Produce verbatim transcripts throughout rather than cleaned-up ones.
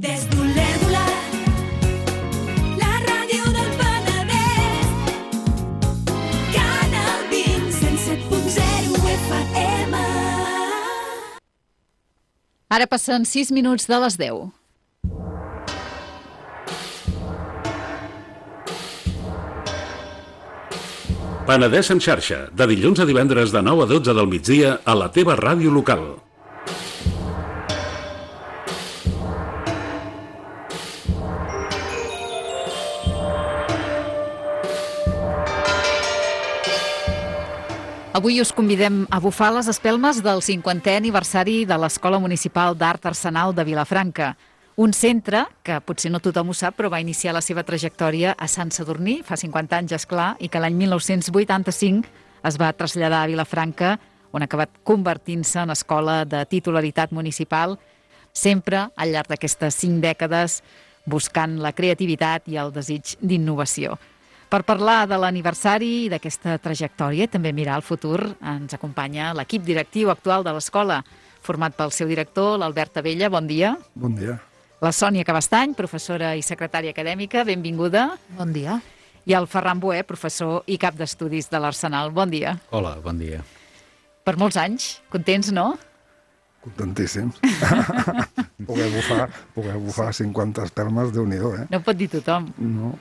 Des d'Olèrdola, la ràdio del Penedès, Canal vint, cent set punt zero F M. Ara passen sis minuts de les deu. Penedès en xarxa, de dilluns a divendres de nou a dotze del migdia a la teva ràdio local. Avui us convidem a bufar les espelmes del cinquantè aniversari de l'Escola Municipal d'Art Arsenal de Vilafranca. Un centre que potser no tothom ho sap, però va iniciar la seva trajectòria a Sant Sadurní, fa cinquanta anys, esclar, i que l'any mil nou-cents vuitanta-cinc es va traslladar a Vilafranca, on ha acabat convertint-se en escola de titularitat municipal, sempre al llarg d'aquestes cinc dècades buscant la creativitat i el desig d'innovació. Per parlar de l'aniversari i d'aquesta trajectòria, també mirar el futur, ens acompanya l'equip directiu actual de l'escola, format pel seu director, l'Albert Abella. Bon dia. Bon dia. La Sònia Cabestany, professora i secretària acadèmica. Benvinguda. Bon dia. I el Ferran Boé, professor i cap d'estudis de l'Arsenal. Bon dia. Hola, bon dia. Per molts anys. Contents, no? Contentíssims. poder bufar, poder bufar cinquanta espelmes, Déu-n'hi-do, eh? No ho pot dir tothom. No.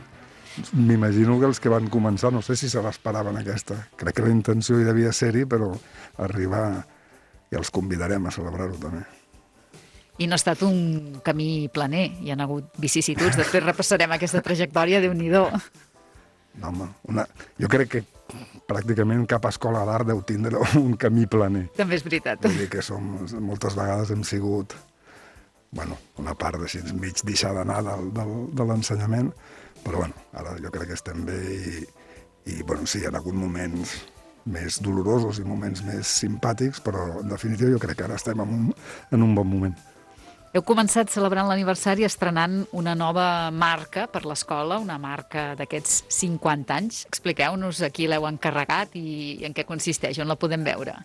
M'imagino que els que van començar, no sé si se l'esperaven aquesta. Crec que la intenció hi devia ser-hi, però arribar i els convidarem a celebrar-ho també. I no ha estat un camí planer, hi ha hagut vicissituds. Després repassarem aquesta trajectòria, Déu-n'hi-do. No, home, una... jo crec que pràcticament cap escola d'art deu tindre un camí planer. També és veritat. Vull dir que som, moltes vegades hem sigut, bueno, una part així mig deixar d'anar del, del, de l'ensenyament, però bueno, ara jo crec que estem bé i, i bueno, sí, hi ha hagut moments més dolorosos i moments més simpàtics, però en definitiva jo crec que ara estem en un, en un bon moment. Heu començat celebrant l'aniversari estrenant una nova marca per l'escola, una marca d'aquests cinquanta anys. Expliqueu-nos a qui l'heu encarregat i en què consisteix, on la podem veure.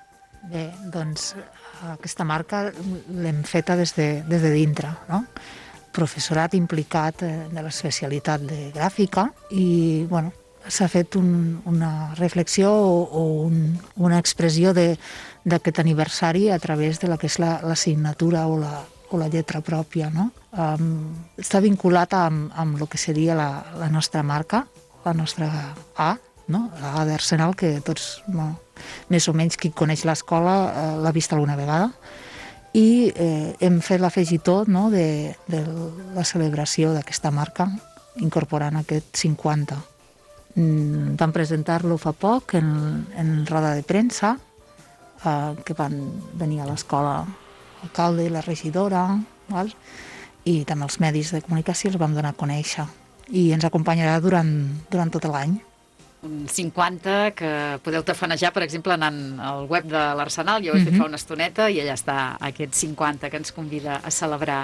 Bé, doncs aquesta marca l'hem feta des de, des de dintre, no? Professorat implicat de l'especialitat de gràfica i, bueno, s'ha fet un, una reflexió o, o un, una expressió d'aquest aniversari a través de la que és la, la signatura o la, o la lletra pròpia, no? Um, està vinculat amb, amb el que seria la, la nostra marca, la nostra A, no? La A d'Arsenal, que tots, no, més o menys qui coneix l'escola eh, l'ha vist alguna vegada, i eh, hem fet l'afegitó, no, de, de la celebració d'aquesta marca, incorporant aquest cinquanta. Mm, vam presentar-lo fa poc en, en roda de premsa, eh, que van venir a l'escola l'alcalde i la regidora, val? I també els medis de comunicació els vam donar a conèixer. I ens acompanyarà durant, durant tot l'any. Un cinquanta que podeu tafanejar, per exemple, anant al web de l'Arsenal, ja ho he fet fa una estoneta, i allà està aquest cinquanta que ens convida a celebrar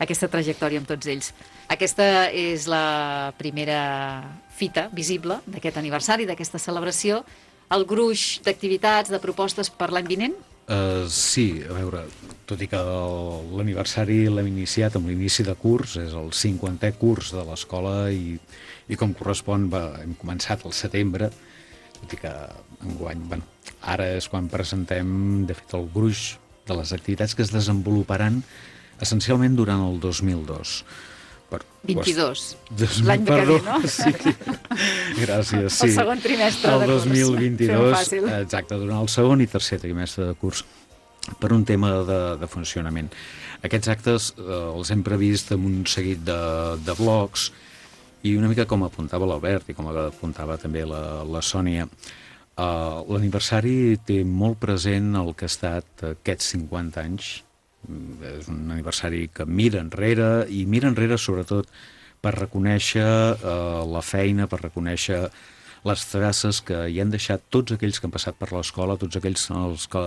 aquesta trajectòria amb tots ells. Aquesta és la primera fita visible d'aquest aniversari, d'aquesta celebració. El gruix d'activitats, de propostes per l'any vinent? Uh, sí, a veure, tot i que l'aniversari l'hem iniciat amb l'inici de curs, és el cinquantè curs de l'escola i, i com correspon va, hem començat al setembre, tot i que enguany, bueno, ara és quan presentem, de fet, el gruix de les activitats que es desenvoluparan essencialment durant el dos mil dos. Per, vint-i-dos, dos, l'any que ve, no? Sí, gràcies, sí. El segon trimestre de curs. El dos mil vint-i-dos, fàcil. exacte, durant el segon i tercer trimestre de curs, per un tema de, de funcionament. Aquests actes eh, els hem previst amb un seguit de, de blocs i una mica com apuntava l'Albert i com apuntava també la, la Sònia, eh, l'aniversari té molt present el que ha estat aquests cinquanta anys. És un aniversari que mira enrere i mira enrere sobretot per reconèixer eh, la feina, per reconèixer les traces que hi han deixat tots aquells que han passat per l'escola, tots aquells els que,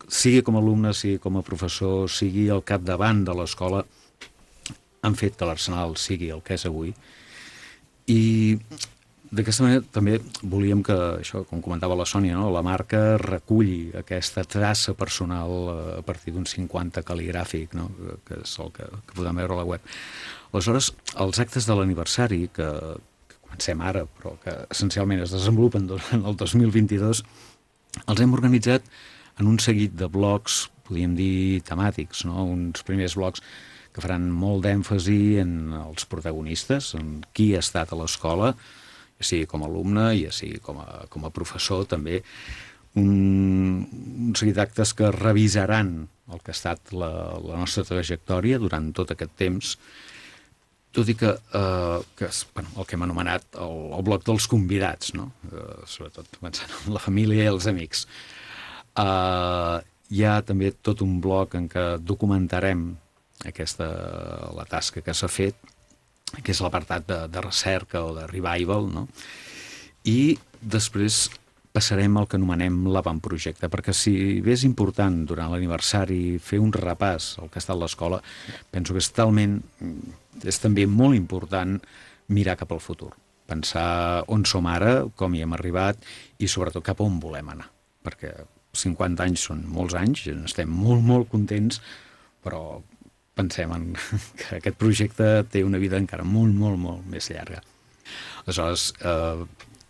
sigui com a alumne, sigui com a professor, sigui al capdavant de l'escola, han fet que l'Arsenal sigui el que és avui. I d'aquesta manera també volíem que, això, com comentava la Sònia, no? La marca reculli aquesta traça personal a partir d'un cinquanta cal·ligràfic, no? Que és el que, que podem veure a la web. Aleshores, els actes de l'aniversari, que, que comencem ara, però que essencialment es desenvolupen durant el dos mil vint-i-dos, els hem organitzat en un seguit de blocs, podríem dir temàtics, no? Uns primers blocs que faran molt d'èmfasi en els protagonistes, en qui ha estat a l'escola, ja sigui com a alumne, ja sigui com a, com a professor, també. Un, un seguit d'actes que revisaran el que ha estat la, la nostra trajectòria durant tot aquest temps, tot i que, eh, que és, bueno, el que hem anomenat el, el bloc dels convidats, no? Eh, sobretot pensant en la família i els amics. Eh, hi ha també tot un bloc en què documentarem aquesta, la tasca que s'ha fet, que és l'apartat de, de recerca o de revival, no? I després passarem al que anomenem l'avantprojecte, perquè si bé és important durant l'aniversari fer un repàs al que ha estat l'escola, penso que és talment, és també molt important mirar cap al futur, pensar on som ara, com hi hem arribat i sobretot cap on volem anar, perquè cinquanta anys són molts anys, estem molt, molt contents, però pensem en que aquest projecte té una vida encara molt, molt, molt més llarga. Aleshores, eh,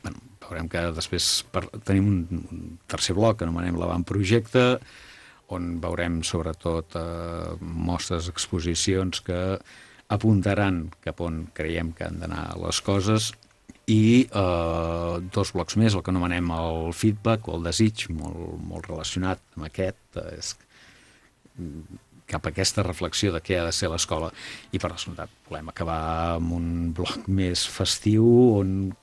bueno, veurem que després per, tenim un, un tercer bloc que anomenem l'avantprojecte, on veurem sobretot eh, mostres, exposicions que apuntaran cap on creiem que han d'anar les coses, i eh, dos blocs més, el que anomenem el feedback o el desig, molt, molt relacionat amb aquest, és cap a aquesta reflexió de què ha de ser l'escola, i per descomptat volem acabar amb un bloc més festiu on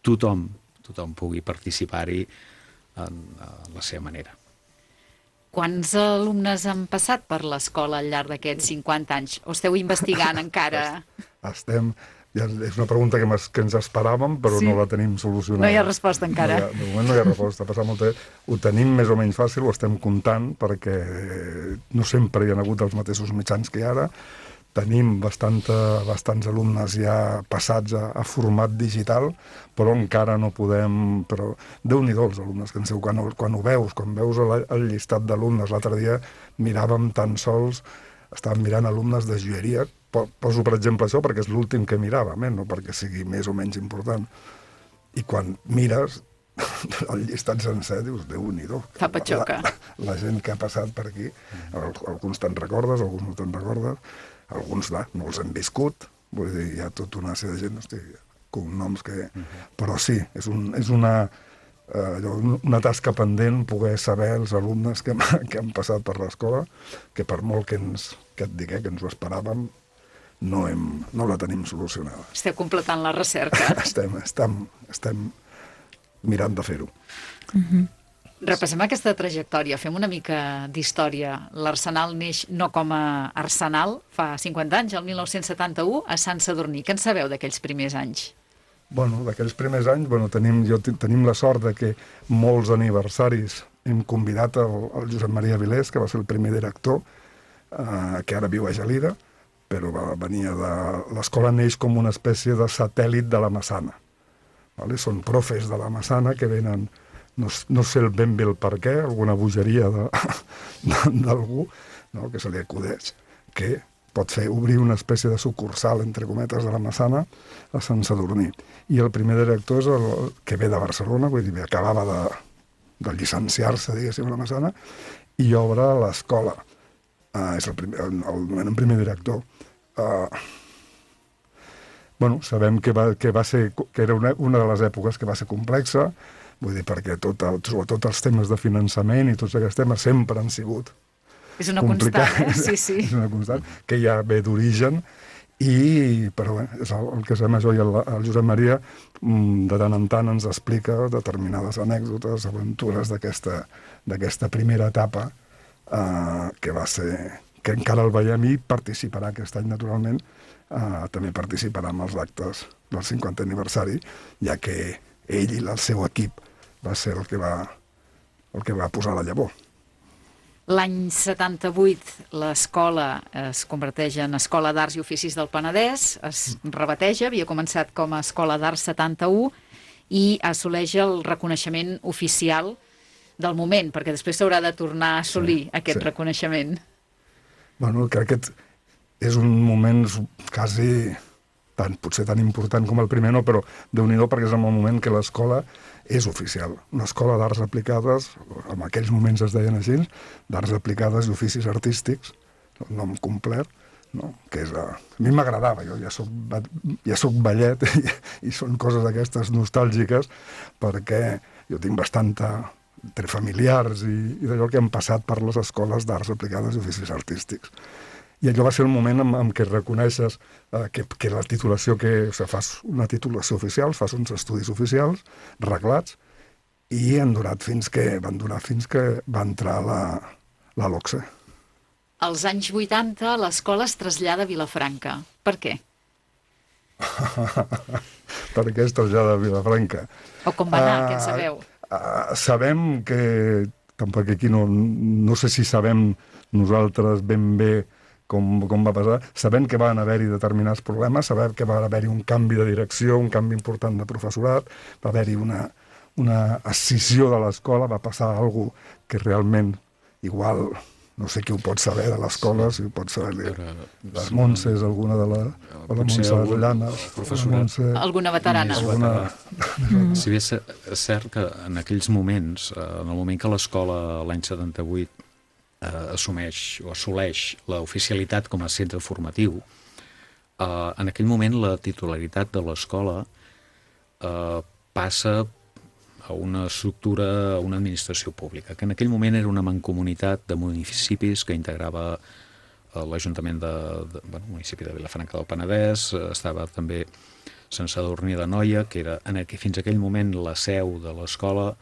tothom, tothom pugui participar-hi en, en la seva manera. Quants alumnes han passat per l'escola al llarg d'aquests cinquanta anys? O esteu investigant encara? Estem... Ja és una pregunta que, que ens esperàvem, però sí. No la tenim solucionada. No hi ha resposta encara. No hi ha, de moment no hi ha resposta. Passar molt temps. Ho tenim més o menys fàcil, ho estem comptant, perquè no sempre hi ha hagut els mateixos mitjans que ara. Tenim bastanta, bastants alumnes ja passats a, a format digital, però encara no podem... Però Déu-n'hi-do els alumnes que en seu, quan, quan ho veus, quan veus el, el llistat d'alumnes, l'altre dia miràvem tan sols, estàvem mirant alumnes de joieria. Poso, per exemple, això perquè és l'últim que miràvem, eh? No perquè sigui més o menys important. I quan mires el llistat sencer, dius, Déu-n'hi-do. Fa patxoca. La, la, la gent que ha passat per aquí, alguns te'n recordes, alguns no te'n recordes, alguns va, no els hem viscut, vull dir, hi ha tota una sèrie de gent, hosti, cognoms que... Però sí, és, un, és una, eh, una tasca pendent poder saber els alumnes que, que han passat per l'escola, que per molt que, ens, que et digué que ens ho esperàvem, no, hem, no la tenim solucionada. Esteu completant la recerca. estem, estem, estem mirant de fer-ho. Uh-huh. Repassem aquesta trajectòria, fem una mica d'història. L'Arsenal neix no com a Arsenal, fa cinquanta anys, el mil nou-cents setanta-u, a Sant Sadurní. Què en sabeu d'aquells primers anys? Bueno, d'aquells primers anys, bueno, tenim, jo, tenim la sort de que molts aniversaris hem convidat el, el Josep Maria Vilés, que va ser el primer director, eh, que ara viu a Gelida, però va, venia de... L'escola neix com una espècie de satèl·lit de la Massana. Vale? Són profes de la Massana que venen, no, no sé ben bé el per què, alguna bogeria d'algú, no? Que se li acudeix, que pot fer obrir una espècie de sucursal, entre cometes, de la Massana a Sant Sadurní. I el primer director és el que ve de Barcelona, vull dir, acabava de, de llicenciar-se, diguéssim, a la Massana, i obre l'escola. Uh, és el, primer, el, el, el primer director. Uh, bueno, sabem que, va, que, va ser, que era una, una de les èpoques que va ser complexa, vull dir, perquè tot el, sobretot els temes de finançament i tots aquests temes sempre han sigut és una constant, eh? Sí, sí. És una constant, que ja ve d'origen, i, però bé, és el, el que sabem jo i el, el Josep Maria de tant en tant ens explica determinades anècdotes, aventures d'aquesta primera etapa, Uh, que va ser, que encara el veiem i participarà aquest any, naturalment, uh, també participarà en els actes del cinquantè aniversari, ja que ell i el seu equip va ser el que va, el que va posar la llavor. L'any setanta-vuit l'escola es converteix en Escola d'Arts i Oficis del Penedès, es rebateja, havia començat com a Escola d'Arts setanta-u i assoleix el reconeixement oficial del moment, perquè després s'haurà de tornar a assolir sí, aquest sí. reconeixement. Bueno, crec que és un moment quasi tan, potser tan important com el primer, no, però Déu-n'hi-do, perquè és el moment que l'escola és oficial. Una escola d'arts aplicades, en aquells moments es deien així, d'arts aplicades i oficis artístics, el nom complet, no? Que és, a mi m'agradava, jo ja soc, ja soc ballet i, i són coses aquestes nostàlgiques, perquè jo tinc bastanta entre familiars i, i d'allò que han passat per les escoles d'arts aplicades i oficis artístics. I allò va ser el moment en, en què reconeixes eh, que, que la titulació, que o sigui, fas una titulació oficial, fas uns estudis oficials, reglats, i han durat fins que, van durar fins que va entrar la, la LOCSE. Als anys vuitanta l'escola es trasllada a Vilafranca. Per què? Per què es trasllada a Vilafranca? O com va anar, uh, què en sabeu? Uh, sabem que, tampoc aquí no, no sé si sabem nosaltres ben bé com, com va passar, sabem que van haver-hi determinats problemes, sabem que va haver-hi un canvi de direcció, un canvi important de professorat, va haver-hi una, una escissió de l'escola, va passar alguna cosa que realment igual... No sé qui ho pot saber de l'escola, si ho pot saber les Montses, alguna de la, o la Montse de Llanes, Montse... Alguna veterana. Alguna... Mm. Si bé és cert que en aquells moments, en el moment que l'escola l'any setanta-vuit eh, assumeix o assoleix l'oficialitat com a centre formatiu, eh, en aquell moment la titularitat de l'escola eh, passa a una estructura, a una administració pública, que en aquell moment era una mancomunitat de municipis que integrava l'Ajuntament de, de bueno, municipi de Vilafranca del Penedès, estava també Sant Sadurní d'Anoia, que era en aqu fins a aquell moment la seu de l'escola,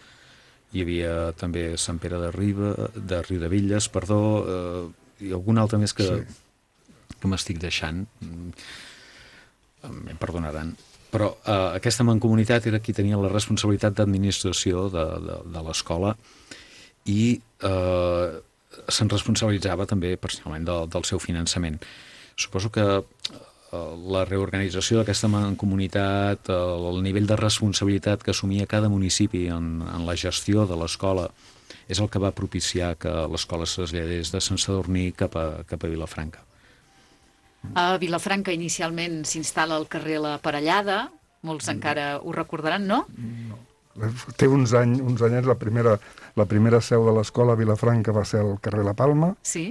hi havia també Sant Pere de Riba, de Riudevilles, perdó, eh, i algun altre més que, sí. que m'estic deixant, em perdonaran. Però eh, aquesta mancomunitat era qui tenia la responsabilitat d'administració de, de, de l'escola i eh, se'n responsabilitzava també personalment del, del seu finançament. Suposo que eh, la reorganització d'aquesta mancomunitat, eh, el nivell de responsabilitat que assumia cada municipi en, en la gestió de l'escola, és el que va propiciar que l'escola es traslladés de Sant Sadurní cap a, cap a Vilafranca. A Vilafranca inicialment s'instal·la al carrer La Parellada, molts encara ho recordaran, no? No. Té uns anys, uns anyets, la primera, la primera seu de l'escola a Vilafranca va ser al carrer La Palma. Sí.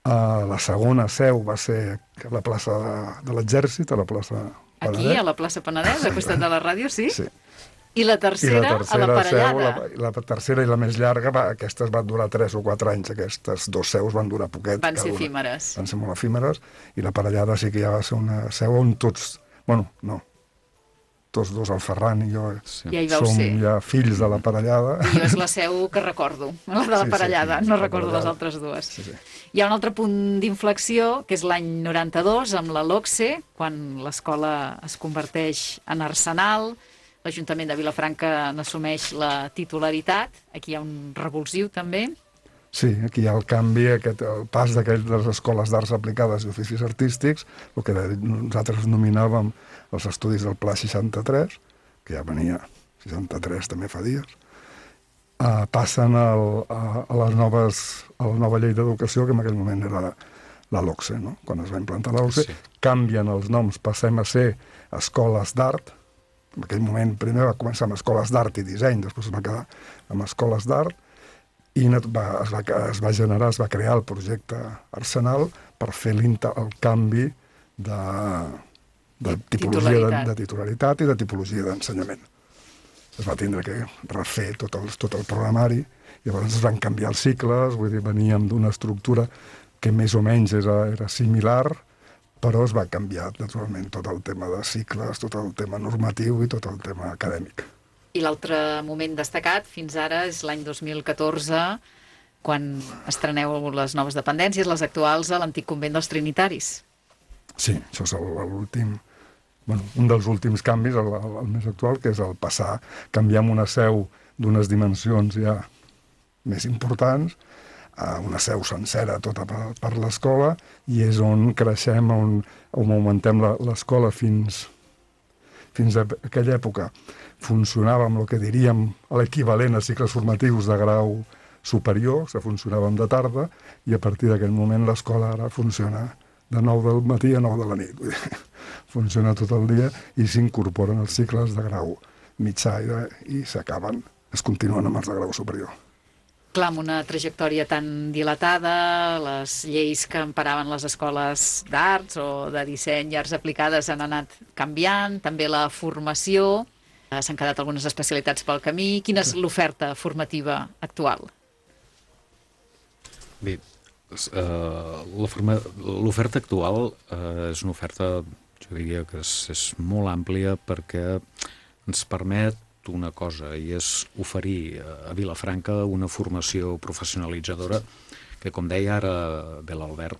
Uh, la segona seu va ser a la plaça de, de l'Exèrcit, a la plaça Penedès. Aquí, a la plaça Penedès, a costat de la ràdio, sí? Sí. I la tercera, I la tercera a la Parellada. Seu, la, la tercera i la més llarga, va, aquestes van durar tres o quatre anys, aquestes dos seus van durar poquet. Van ser efímeres. Van ser molt efímeres, i la Parellada sí que ja va ser una seu on tots, bueno, no, tots dos, el Ferran i jo, sí. ja som ser. ja fills de la Parellada. I jo és la seu que recordo, la de la sí, Parellada, sí, no recordo les altres dues. Sí, sí. Hi ha un altre punt d'inflexió, que és l'any noranta-dos, amb la LOCSE, quan l'escola es converteix en arsenal, l'Ajuntament de Vilafranca n'assumeix la titularitat, aquí hi ha un revulsiu també. Sí, aquí hi ha el canvi, aquest, el pas d'aquelles de les escoles d'arts aplicades i oficis artístics, el que nosaltres nominàvem els estudis del Pla seixanta-tres, que ja venia, seixanta-tres també fa dies, uh, passen al, a, a, les noves, a la nova llei d'educació, que en aquell moment era la LOCSE, no? Quan es va implantar la LOCSE, sí. Canvien els noms, passem a ser escoles d'art. En aquell moment primer va començar amb escoles d'art i disseny, després es va quedar amb escoles d'art, i va, es, va, es va generar, es va crear el projecte Arsenal per fer el canvi de, de tipologia titularitat. De, de titularitat i de tipologia d'ensenyament. Es va tindre que refer tot el, tot el programari, i llavors es van canviar els cicles, vull dir, veníem d'una estructura que més o menys era, era similar, però es va canviar naturalment tot el tema de cicles, tot el tema normatiu i tot el tema acadèmic. I l'altre moment destacat fins ara és l'any dos mil catorze, quan estreneu les noves dependències, les actuals, a l'antic convent dels Trinitaris. Sí, això és l'últim, bueno, un dels últims canvis, el, el, el més actual, que és el passar, canviar una seu d'unes dimensions ja més importants uh, una seu sencera tota per, per l'escola, i és on creixem, on, on augmentem l'escola fins, fins a aquella època. Funcionava amb el que diríem l'equivalent a cicles formatius de grau superior, que funcionàvem de tarda, i a partir d'aquell moment l'escola ara funciona de nou del matí a nou de la nit. Vull dir, funciona tot el dia i s'incorporen els cicles de grau mitjà i, i s'acaben, es continuen amb els de grau superior. Clar, amb una trajectòria tan dilatada, les lleis que emparaven les escoles d'arts o de disseny i arts aplicades han anat canviant, també la formació, s'han quedat algunes especialitats pel camí. Quina és l'oferta formativa actual? Bé, l'oferta actual és una oferta, jo diria que és, és molt àmplia, perquè ens permet una cosa, i és oferir a Vilafranca una formació professionalitzadora que, com deia ara bé l'Albert,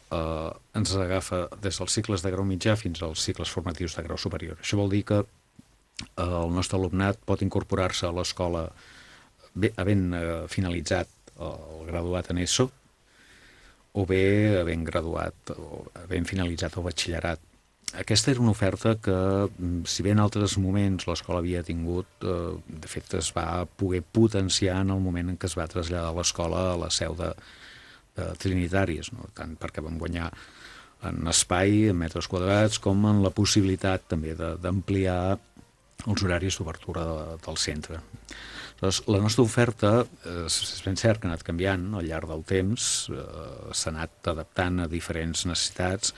eh, ens agafa des dels cicles de grau mitjà fins als cicles formatius de grau superior. Això vol dir que eh, el nostre alumnat pot incorporar-se a l'escola havent eh, finalitzat el graduat en ESO, o bé havent graduat o havent finalitzat el batxillerat. Aquesta era una oferta que, si bé en altres moments l'escola havia tingut, eh, de fet es va poder potenciar en el moment en què es va traslladar l'escola a la seu de, de Trinitàries, no? Tant perquè vam guanyar en espai, en metres quadrats, com en la possibilitat també d'ampliar els horaris d'obertura de, del centre. Llavors, la nostra oferta, eh, és ben cert que ha anat canviant al llarg del temps, eh, s'ha anat adaptant a diferents necessitats.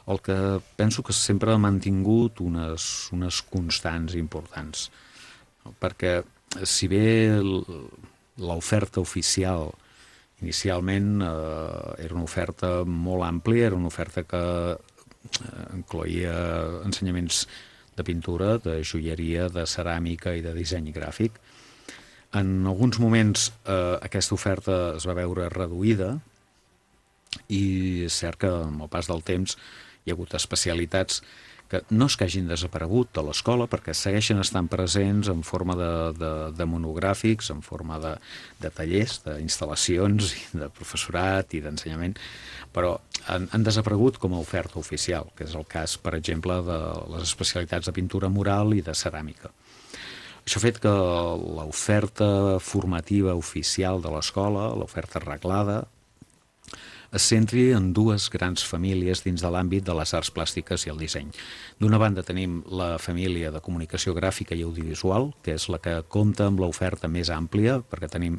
El que penso que sempre ha mantingut unes, unes constants importants, no? Perquè si bé l'oferta oficial inicialment eh, era una oferta molt àmplia, era una oferta que eh, incloïa ensenyaments de pintura, de joieria, de ceràmica i de disseny gràfic. En alguns moments eh, aquesta oferta es va veure reduïda, i és cert que amb el pas del temps hi ha hagut especialitats que no és que hagin desaparegut de l'escola, perquè segueixen estant presents en forma de, de, de monogràfics, en forma de, de tallers, d'instal·lacions, de professorat i d'ensenyament, però han, han desaparegut com a oferta oficial, que és el cas, per exemple, de les especialitats de pintura mural i de ceràmica. Això ha fet que l'oferta formativa oficial de l'escola, l'oferta reglada, es centri en dues grans famílies dins de l'àmbit de les arts plàstiques i el disseny. D'una banda tenim la família de comunicació gràfica i audiovisual, que és la que compta amb l'oferta més àmplia, perquè tenim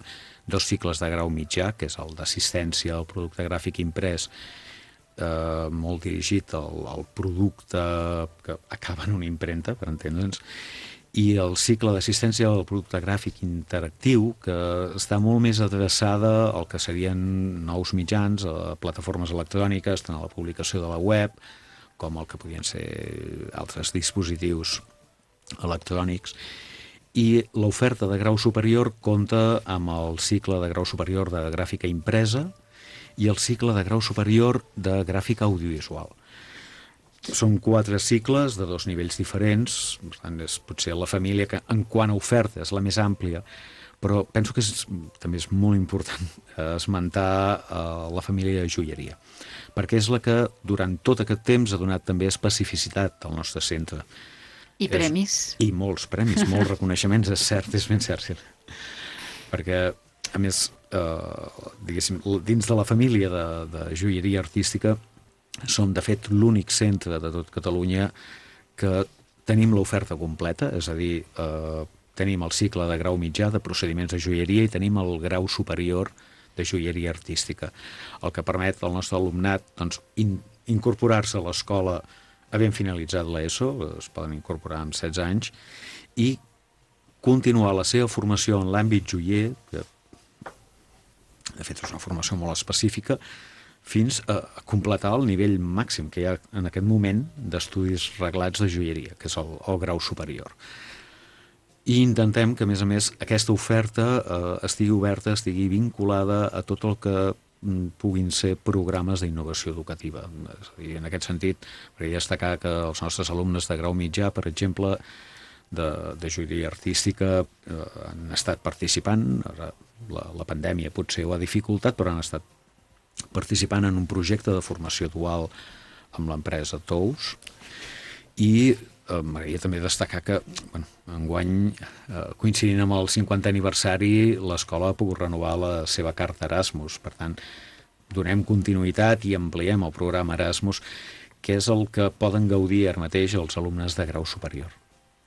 dos cicles de grau mitjà, que és el d'assistència al producte gràfic imprès, eh, molt dirigit al, al producte que acaba en una impremta, per entendre'ns, i el cicle d'assistència al producte gràfic interactiu, que està molt més adreçada al que serien nous mitjans, a plataformes electròniques, tant a la publicació de la web, com el que podien ser altres dispositius electrònics. I l'oferta de grau superior compta amb el cicle de grau superior de gràfica impresa i el cicle de grau superior de gràfica audiovisual. Són quatre cicles de dos nivells diferents, per tant, és potser la família que en quant a oferta és la més àmplia, però penso que és, també és molt important esmentar uh, la família de joieria, perquè és la que durant tot aquest temps ha donat també especificitat al nostre centre. I premis. És, I molts premis, molts reconeixements, és cert, és ben cert. Perquè, a més, uh, diguéssim, dins de la família de, de joieria artística, som, de fet, l'únic centre de tot Catalunya que tenim l'oferta completa, és a dir, eh, tenim el cicle de grau mitjà de procediments de joieria i tenim el grau superior de joieria artística, el que permet al nostre alumnat doncs, in, incorporar-se a l'escola havent finalitzat l'ESO, es poden incorporar amb setze anys, i continuar la seva formació en l'àmbit joier, que de fet és una formació molt específica, fins a completar el nivell màxim que hi ha en aquest moment d'estudis reglats de joieria, que és el, el grau superior. I intentem que, a més a més, aquesta oferta eh, estigui oberta, estigui vinculada a tot el que mm, puguin ser programes d'innovació educativa. És a dir, en aquest sentit, volia destacar que els nostres alumnes de grau mitjà, per exemple, de, de joieria artística, eh, han estat participant. Ara la, la pandèmia potser ho ha dificultat, però han estat participant en un projecte de formació dual amb l'empresa Tous, i eh, m'agradaria també destacar que bueno, enguany, eh, coincidint amb el cinquantè aniversari, l'escola ha pogut renovar la seva carta Erasmus. Per tant, donem continuïtat i ampliem el programa Erasmus, que és el que poden gaudir ara mateix els alumnes de grau superior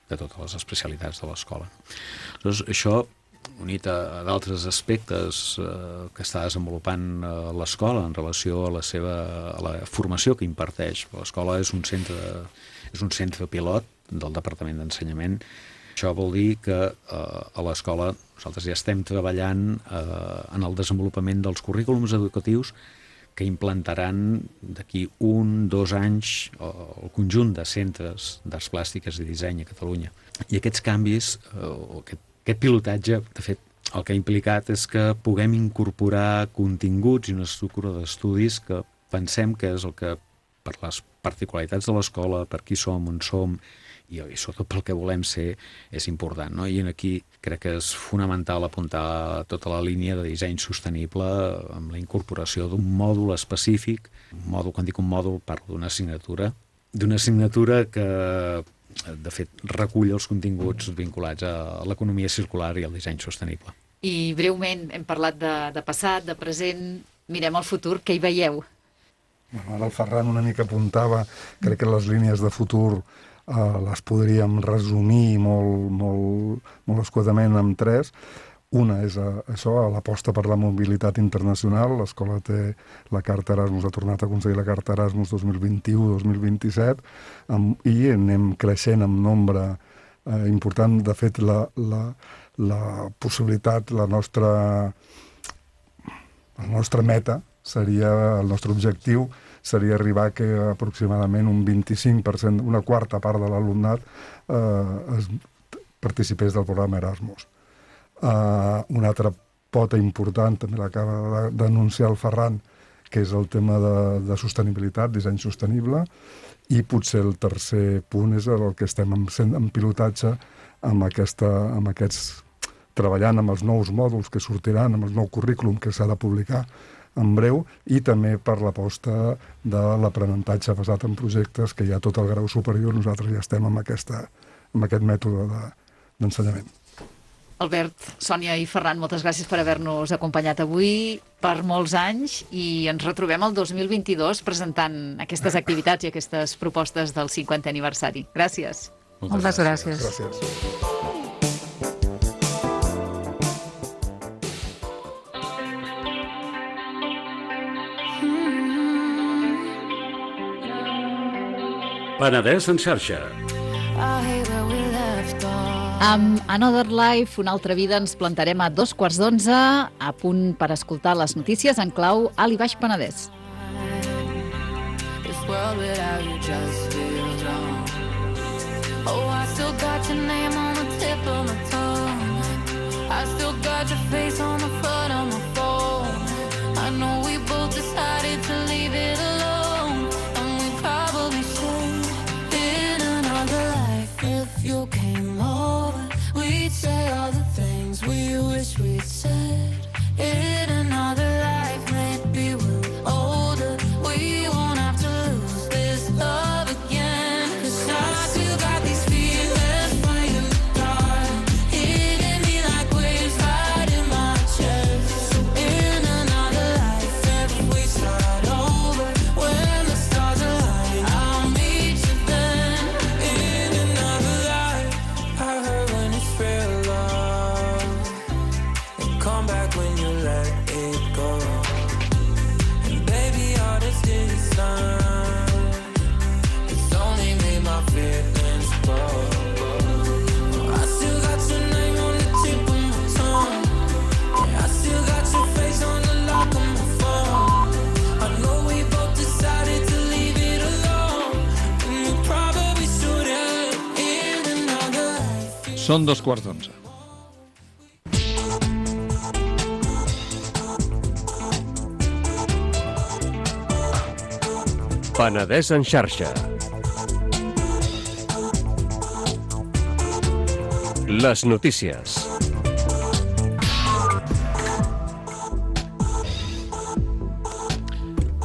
de totes les especialitats de l'escola. Doncs això, unit a, a d'altres aspectes eh, que està desenvolupant eh, l'escola en relació a la seva a la formació que imparteix. L'escola és un centre és un centre pilot del Departament d'Ensenyament. Això vol dir que eh, a l'escola nosaltres ja estem treballant eh, en el desenvolupament dels currículums educatius que implantaran d'aquí un, dos anys el conjunt de centres d'arts plàstiques i disseny a Catalunya. I aquests canvis, eh, aquest, aquest pilotatge, de fet, el que ha implicat és que puguem incorporar continguts i una estructura d'estudis que pensem que és el que, per les particularitats de l'escola, per qui som, on som, i, i sobretot pel que volem ser, és important, no? I aquí crec que és fonamental apuntar tota la línia de disseny sostenible amb la incorporació d'un mòdul específic. Un mòdul, quan dic un mòdul, parlo d'una assignatura, d'una assignatura que, de fet, recull els continguts vinculats a l'economia circular i al disseny sostenible. I breument hem parlat de, de passat, de present, mirem al futur, què hi veieu? Ara el Ferran una mica apuntava, crec que les línies de futur Uh, les podríem resumir molt, molt, molt escuetament amb tres. Una és uh, això, l'aposta per la mobilitat internacional. L'escola té la carta Erasmus, ha tornat a aconseguir la carta Erasmus dos mil vint-i-u dos mil vint-i-set, amb, i anem creixent en nombre uh, important. De fet, la, la, la possibilitat, la nostra, la nostra meta seria, el nostre objectiu seria arribar que aproximadament un vint-i-cinc per cent, una quarta part de l'alumnat eh, es participés del programa Erasmus. Eh, una altra pota important, també l'acaba d'anunciar el Ferran, que és el tema de, de sostenibilitat, disseny sostenible, i potser el tercer punt és el que estem en, en pilotatge amb, aquesta, amb aquests, treballant amb els nous mòduls que sortiran, amb el nou currículum que s'ha de publicar en breu, i també per l'aposta de l'aprenentatge basat en projectes, que hi ha tot el grau superior. Nosaltres ja estem amb, aquesta, amb aquest mètode de, d'ensenyament. Albert, Sònia i Ferran, moltes gràcies per haver-nos acompanyat avui per molts anys, i ens retrobem el dos mil vint-i-dos presentant aquestes activitats i aquestes propostes del cinquantè aniversari. Gràcies. Moltes, moltes gràcies. Gràcies. Penedès en xarxa. Amb Another Life, una altra vida, ens plantarem a dos quarts d'onze, a punt per escoltar les notícies en clau Alt i Baix Penedès. Say all the things we wish we'd said in another life. Maybe we're older, we won't have to lose this love again. 'Cause I still got these feelings for you, darling, hitting me like waves right in my chest. In another life, if we start over, when the stars align, I'll meet you then. In another life, I heard when it's real love, and come back when you let it go. And baby, all this distance, it's only made my feelings grow. I still got your name on the tip of my tongue, yeah, I still got your face on the lock of my phone. I know we both decided to leave it alone, and we probably shouldn't. In another life. Són dos quarts d'onze. Penedès en xarxa. Les notícies.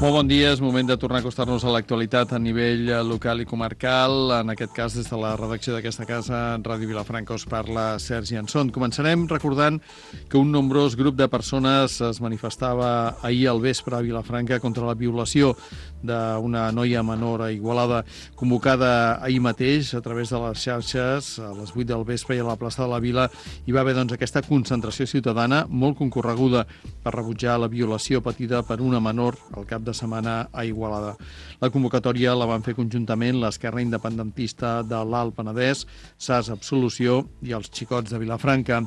Molt bon dia, és moment de tornar a acostar-nos a l'actualitat a nivell local i comarcal. En aquest cas, des de la redacció d'aquesta casa, Ràdio Vilafranca, us parla Sergi Anson. Començarem recordant que un nombrós grup de persones es manifestava ahir al vespre a Vilafranca contra la violació d'una noia menor a Igualada, convocada ahir mateix a través de les xarxes, a les vuit del vespre i a la plaça de la Vila. Hi va haver doncs, aquesta concentració ciutadana molt concorreguda per rebutjar la violació patida per una menor al cap de setmana a Igualada. La convocatòria la van fer conjuntament l'Esquerra Independentista de l'Alt Penedès, S A S Absolució i els Xicots de Vilafranca.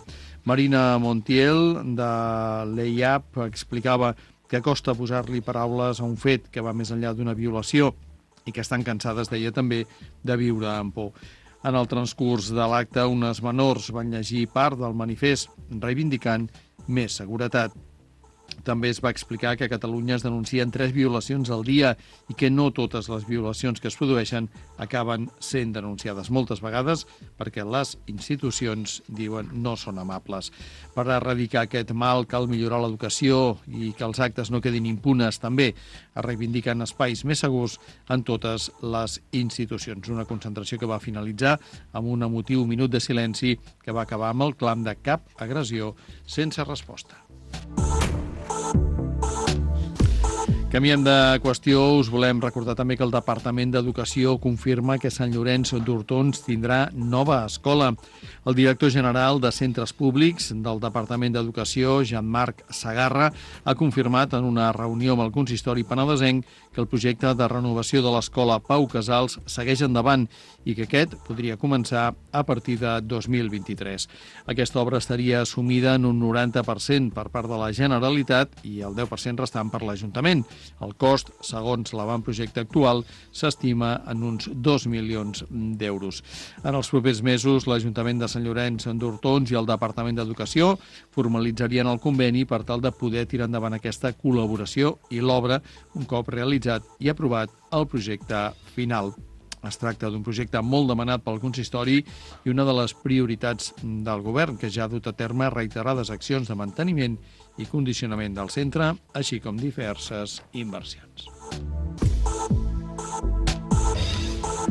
Marina Montiel, de l'E I A P, explicava que costa posar-li paraules a un fet que va més enllà d'una violació i que estan cansades, deia també, de viure amb por. En el transcurs de l'acte, unes menors van llegir part del manifest reivindicant més seguretat. També es va explicar que a Catalunya es denuncien tres violacions al dia i que no totes les violacions que es produeixen acaben sent denunciades moltes vegades perquè les institucions, diuen, no són amables. Per erradicar aquest mal cal millorar l'educació i que els actes no quedin impunes. També es reivindiquen espais més segurs en totes les institucions. Una concentració que va finalitzar amb un emotiu minut de silenci que va acabar amb el clam de cap agressió sense resposta. Canviem de qüestió, us volem recordar també que el Departament d'Educació confirma que Sant Llorenç d'Hortons tindrà nova escola. El director general de Centres Públics del Departament d'Educació, Jean-Marc Sagarra, ha confirmat en una reunió amb el consistori penedesenc que el projecte de renovació de l'escola Pau Casals segueix endavant i que aquest podria començar a partir de dos mil vint-i-tres. Aquesta obra estaria assumida en un noranta per cent per part de la Generalitat i el deu per cent restant per l'Ajuntament. El cost, segons l'avantprojecte actual, s'estima en uns dos milions d'euros. En els propers mesos, l'Ajuntament de Sant Llorenç d'Hortons i el Departament d'Educació formalitzarien el conveni per tal de poder tirar endavant aquesta col·laboració i l'obra un cop realitzat i aprovat el projecte final. Es tracta d'un projecte molt demanat pel consistori i una de les prioritats del govern, que ja ha dut a terme reiterades accions de manteniment i condicionament del centre, així com diverses inversions.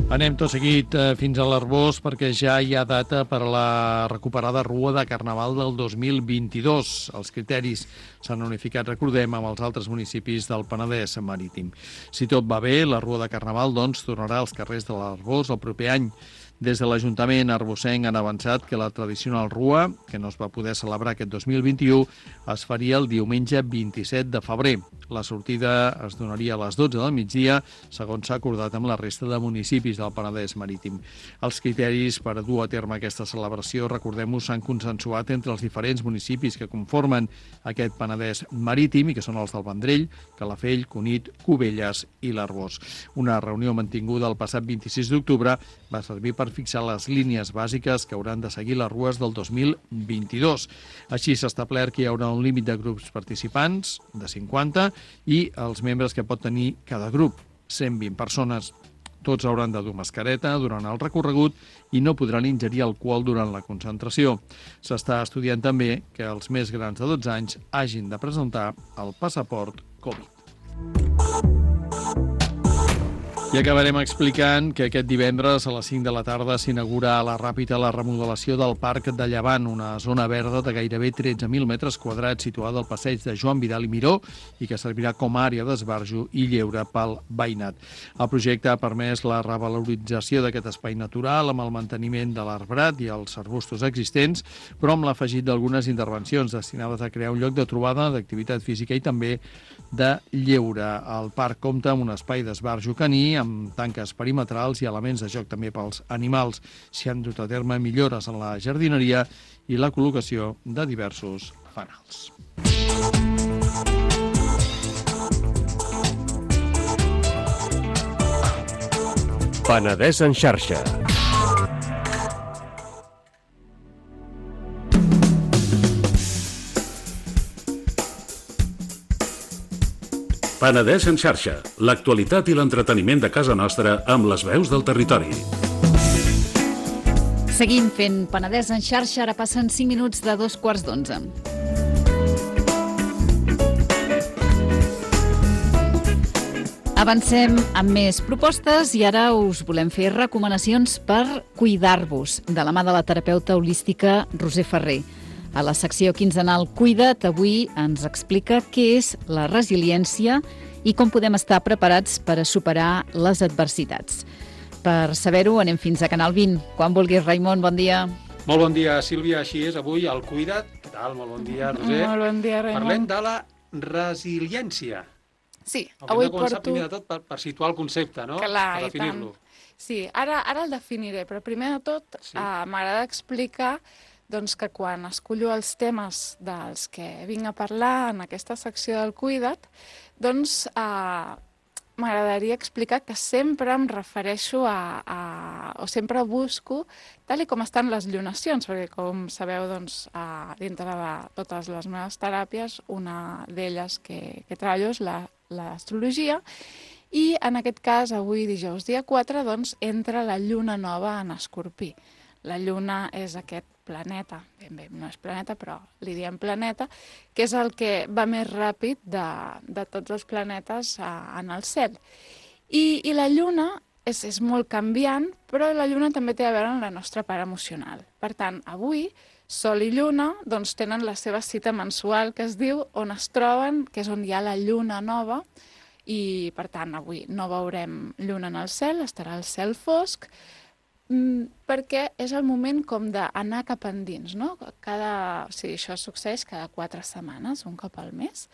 Anem tot seguit fins a l'Arboç perquè ja hi ha data per a la recuperada Rua de Carnaval del dos mil vint-i-dos. Els criteris s'han unificat, recordem, amb els altres municipis del Penedès marítim. Si tot va bé, la Rua de Carnaval doncs, tornarà als carrers de l'Arboç el proper any. Des de l'Ajuntament arbocenc han avançat que la tradicional Rua, que no es va poder celebrar aquest dos mil vint-i-u, es faria el diumenge vint-i-set de febrer. La sortida es donaria a les dotze del migdia, segons s'ha acordat amb la resta de municipis del Penedès marítim. Els criteris per dur a terme aquesta celebració, recordem-ho, s'han consensuat entre els diferents municipis que conformen aquest Penedès marítim i que són els del Vendrell, Calafell, Cunit, Cubelles i l'Arboç. Una reunió mantinguda el passat vint-i-sis d'octubre va servir per fixar les línies bàsiques que hauran de seguir les rues del dos mil vint-i-dos. Així s'ha establert que hi haurà un límit de grups participants de cinquanta i els membres que pot tenir cada grup, cent vint persones. Tots hauran de dur mascareta durant el recorregut i no podran ingerir alcohol durant la concentració. S'està estudiant també que els més grans de dotze anys hagin de presentar el passaport Covid. I acabarem explicant que aquest divendres a les cinc de la tarda s'inaugura a la Ràpita la remodelació del Parc de Llevant, una zona verda de gairebé tretze mil metres quadrats situada al passeig de Joan Vidal i Miró i que servirà com a àrea d'esbarjo i lleure pel veïnat. El projecte ha permès la revalorització d'aquest espai natural amb el manteniment de l'arbrat i els arbustos existents, però amb l'afegit d'algunes intervencions destinades a crear un lloc de trobada, d'activitat física i també de lleure. El parc compta amb un espai d'esbarjo caní, amb tanques perimetrals i elements de joc també pels animals. S'hi han dut a terme millores en la jardineria i la col·locació de diversos fanals. Penedès en xarxa. Penedès en xarxa, l'actualitat i l'entreteniment de casa nostra amb les veus del territori. Seguim fent Penedès en xarxa, ara passen cinc minuts de dos quarts d'onze. Avancem amb més propostes i ara us volem fer recomanacions per cuidar-vos de la mà de la terapeuta holística Roser Ferrer. A la secció quinzenal Cuida't, avui ens explica què és la resiliència i com podem estar preparats per a superar les adversitats. Per saber-ho, anem fins a Canal vint. Quan vulguis, Raimon, bon dia. Molt bon dia, Sílvia. Així és, avui al Cuida't. Què tal? Molt bon dia, Roser. Molt bon dia, Raimon. Parlem de la resiliència. Sí, Haurem avui de començar porto... primer de tot per, per situar el concepte, no? Clar, per i definir-lo. tant. Sí, ara, ara el definiré, però primer de tot Sí. eh, m'agrada explicar doncs, que quan escollo els temes dels que vinc a parlar en aquesta secció del Cuida't, doncs eh, m'agradaria explicar que sempre em refereixo a, a... o sempre busco tal i com estan les llunacions, perquè com sabeu, doncs, a, dintre de totes les meves teràpies, una d'elles que, que treballo és la, l'astrologia, i en aquest cas, avui dijous dia quatre, doncs, entra la lluna nova en Escorpí. La lluna és aquest planeta, ben bé, no és planeta, però li diem planeta, que és el que va més ràpid de, de tots els planetes a, en el cel. I, i la lluna és, és molt canviant, però la lluna també té a veure amb la nostra part emocional. Per tant, avui, Sol i Lluna doncs, tenen la seva cita mensual, que es diu on es troben, que és on hi ha la lluna nova, i per tant, avui no veurem lluna en el cel, estarà el cel fosc, perquè és el moment com d'anar cap endins, no? Cada, o sigui, això succeeix cada quatre setmanes, un cop al mes.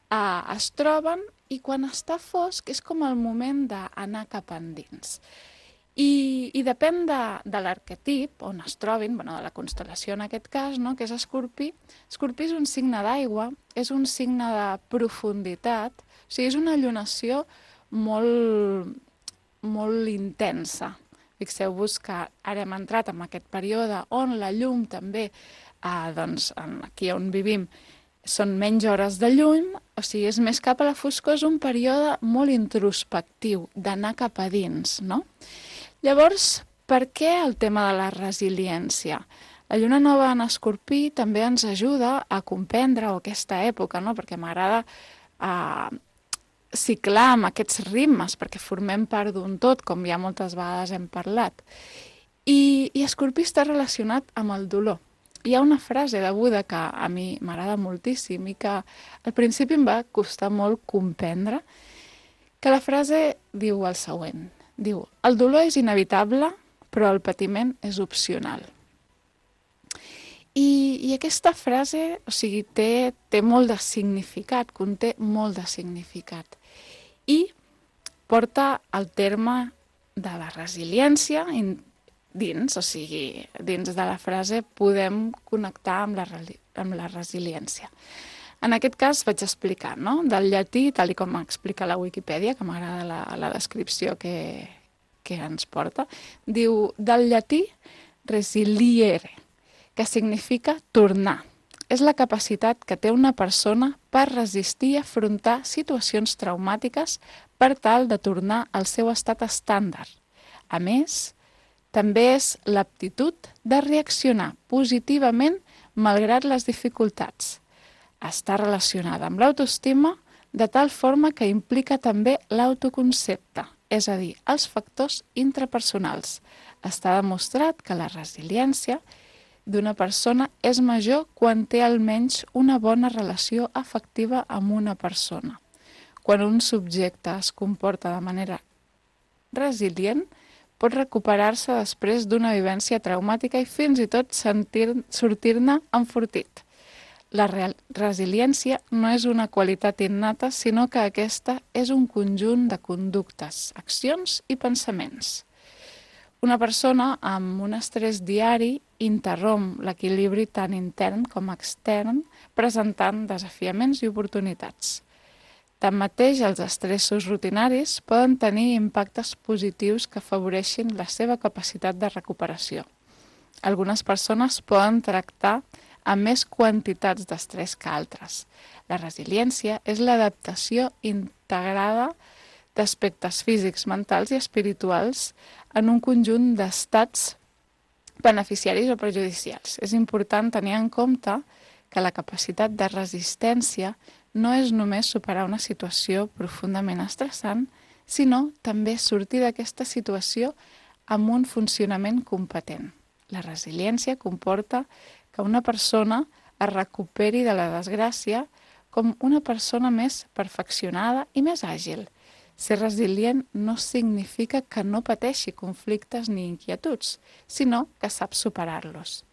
Uh, es troben i quan està fosc és com el moment d'anar cap endins. I, i depèn de, de l'arquetip on es trobin, bueno, de la constel·lació en aquest cas, no? Que és Escorpí. Escorpí és un signe d'aigua, és un signe de profunditat, o sigui, és una llunació molt, molt intensa. Fixeu-vos que ara hem entrat en aquest període on la llum també, eh, doncs, aquí on vivim, són menys hores de llum, o sigui, és més cap a la foscor, és un període molt introspectiu, d'anar cap a dins, no? Llavors, per què el tema de la resiliència? La lluna nova en Escorpí també ens ajuda a comprendre aquesta època, no? Perquè m'agrada eh, ciclar amb aquests ritmes, perquè formem part d'un tot, com ja moltes vegades hem parlat. I, i Escorpí està relacionat amb el dolor. Hi ha una frase de Buda que a mi m'agrada moltíssim i que al principi em va costar molt comprendre, que la frase diu el següent. Diu, el dolor és inevitable, però el patiment és opcional. I, i aquesta frase, o sigui, té, té molt de significat, conté molt de significat. I porta el terme de la resiliència dins, o sigui, dins de la frase podem connectar amb la, amb la resiliència. En aquest cas vaig explicar, no? Del llatí, tal i com explica la Wikipedia, que m'agrada la, la descripció que, que ens porta, diu del llatí resiliere, que significa tornar. És la capacitat que té una persona per resistir i afrontar situacions traumàtiques per tal de tornar al seu estat estàndard. A més, també és l'aptitud de reaccionar positivament malgrat les dificultats. Està relacionada amb l'autoestima de tal forma que implica també l'autoconcepte, és a dir, els factors intrapersonals. Està demostrat que la resiliència d'una persona és major quan té almenys una bona relació afectiva amb una persona. Quan un subjecte es comporta de manera resilient, pot recuperar-se després d'una vivència traumàtica i fins i tot sentir, sortir-ne enfortit. La resiliència no és una qualitat innata, sinó que aquesta és un conjunt de conductes, accions i pensaments. Una persona amb un estrès diari interromp l'equilibri tant intern com extern, presentant desafiaments i oportunitats. Tanmateix, els estressos rutinaris poden tenir impactes positius que afavoreixin la seva capacitat de recuperació. Algunes persones poden tractar amb més quantitats d'estrès que altres. La resiliència és l'adaptació integrada d'aspectes físics, mentals i espirituals en un conjunt d'estats beneficiaris o perjudicials. És important tenir en compte que la capacitat de resistència no és només superar una situació profundament estressant, sinó també sortir d'aquesta situació amb un funcionament competent. La resiliència comporta que una persona es recuperi de la desgràcia com una persona més perfeccionada i més àgil. Ser resilient no significa que no pateixi conflictes ni inquietuds, sinó que sap superar-los.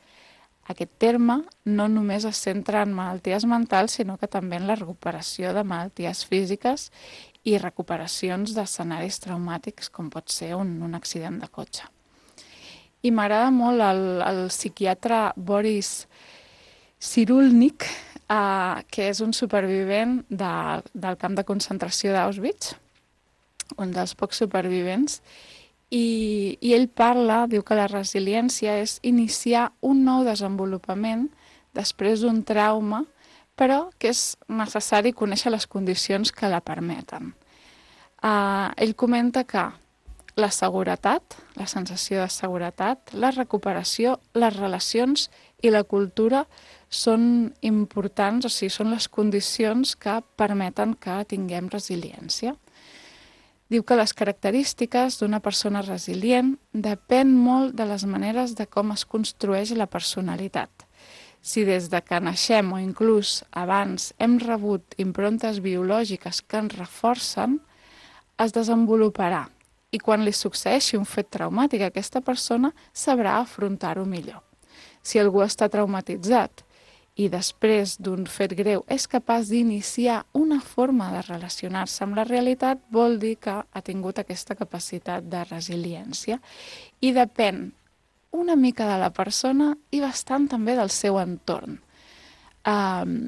Aquest terme no només es centra en malalties mentals, sinó que també en la recuperació de malalties físiques i recuperacions d'escenaris traumàtics, com pot ser un, un accident de cotxe. I m'agrada molt el, el psiquiatre Boris Cyrulnik, eh, que és un supervivent de, del camp de concentració d'Auschwitz, un dels pocs supervivents, i, i ell parla, diu que la resiliència és iniciar un nou desenvolupament després d'un trauma, però que és necessari conèixer les condicions que la permeten. Uh, ell comenta que la seguretat, la sensació de seguretat, la recuperació, les relacions i la cultura són importants, o sigui, són les condicions que permeten que tinguem resiliència. Diu que les característiques d'una persona resilient depèn molt de les maneres de com es construeix la personalitat. Si des de que naixem o inclús abans hem rebut improntes biològiques que ens reforcen, es desenvoluparà i quan li succeeixi un fet traumàtic a aquesta persona sabrà afrontar-ho millor. Si algú està traumatitzat i després d'un fet greu és capaç d'iniciar una forma de relacionar-se amb la realitat, vol dir que ha tingut aquesta capacitat de resiliència i depèn una mica de la persona i bastant també del seu entorn. Um,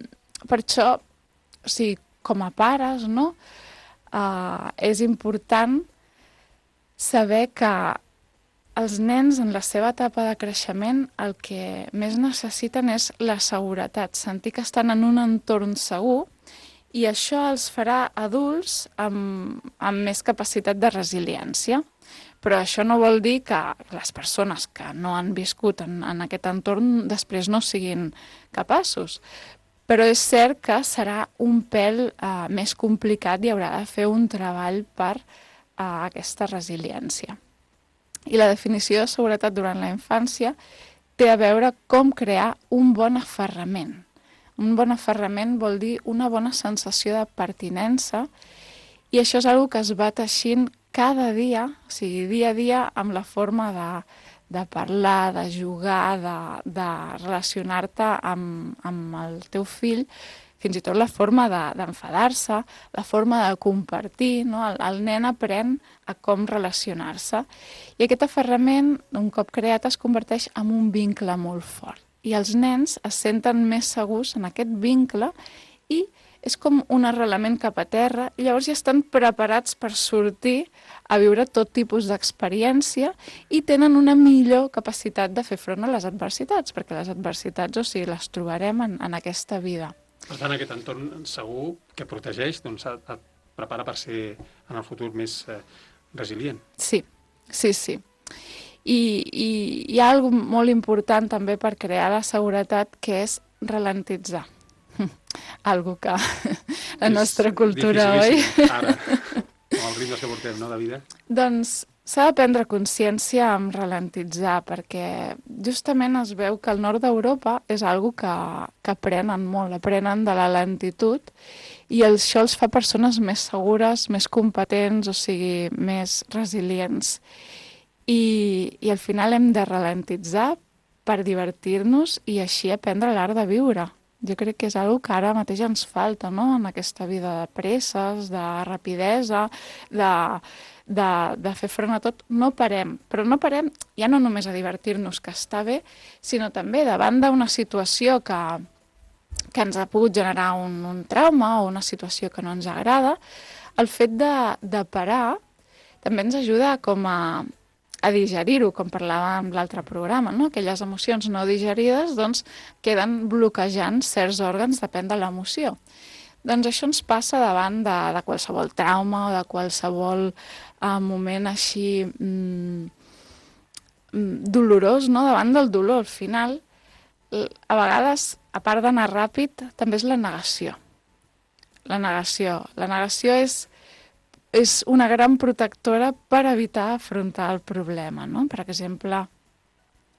per això, o sigui, com a pares, no? Uh, és important saber que els nens en la seva etapa de creixement el que més necessiten és la seguretat, sentir que estan en un entorn segur i això els farà adults amb, amb més capacitat de resiliència. Però això no vol dir que les persones que no han viscut en, en aquest entorn després no siguin capaços. Però és cert que serà un pèl eh, més complicat i haurà de fer un treball per eh, aquesta resiliència. I la definició de seguretat durant la infància té a veure com crear un bon aferrament. Un bon aferrament vol dir una bona sensació de pertinença i això és una cosa que es va teixint cada dia, o sigui, dia a dia, amb la forma de, de parlar, de jugar, de, de relacionar-te amb, amb el teu fill, fins i tot la forma d'enfadar-se, la forma de compartir, no? El, el nen aprèn a com relacionar-se. I aquest aferrament, un cop creat, es converteix en un vincle molt fort. I els nens es senten més segurs en aquest vincle i és com un arrelament cap a terra, i llavors ja estan preparats per sortir a viure tot tipus d'experiència i tenen una millor capacitat de fer front a les adversitats, perquè les adversitats, o sigui, les trobarem en, en aquesta vida. Per tant, aquest entorn segur que protegeix, doncs et prepara per ser en el futur més eh, resilient. Sí, sí, sí. I, i hi ha alguna cosa molt important també per crear la seguretat, que és ralentitzar. Algo que la nostra cultura, oi? Ara, amb els ritmes que portem, no, de vida? Doncs s'ha de prendre consciència amb ralentitzar, perquè justament es veu que el nord d'Europa és algo que, que aprenen molt, aprenen de la lentitud, i això els fa persones més segures, més competents, o sigui, més resilients. I, i al final hem de ralentitzar per divertir-nos i així aprendre l'art de viure. Jo crec que és una cosa que ara mateix ens falta, no?, en aquesta vida de presses, de rapidesa, de, de, de fer front a tot. No parem, però no parem ja no només a divertir-nos, que està bé, sinó també davant d'una situació que, que ens ha pogut generar un, un trauma o una situació que no ens agrada, el fet de, de parar també ens ajuda com a a digerir-ho, com parlàvem en l'altre programa, no? Aquelles emocions no digerides doncs, queden bloquejant certs òrgans, depèn de l'emoció. Doncs això ens passa davant de, de qualsevol trauma o de qualsevol eh, moment així mm, dolorós, no? Davant del dolor. Al final, a vegades, a part d'anar ràpid, també és la negació. La negació. La negació és és una gran protectora per evitar afrontar el problema, no? Per exemple,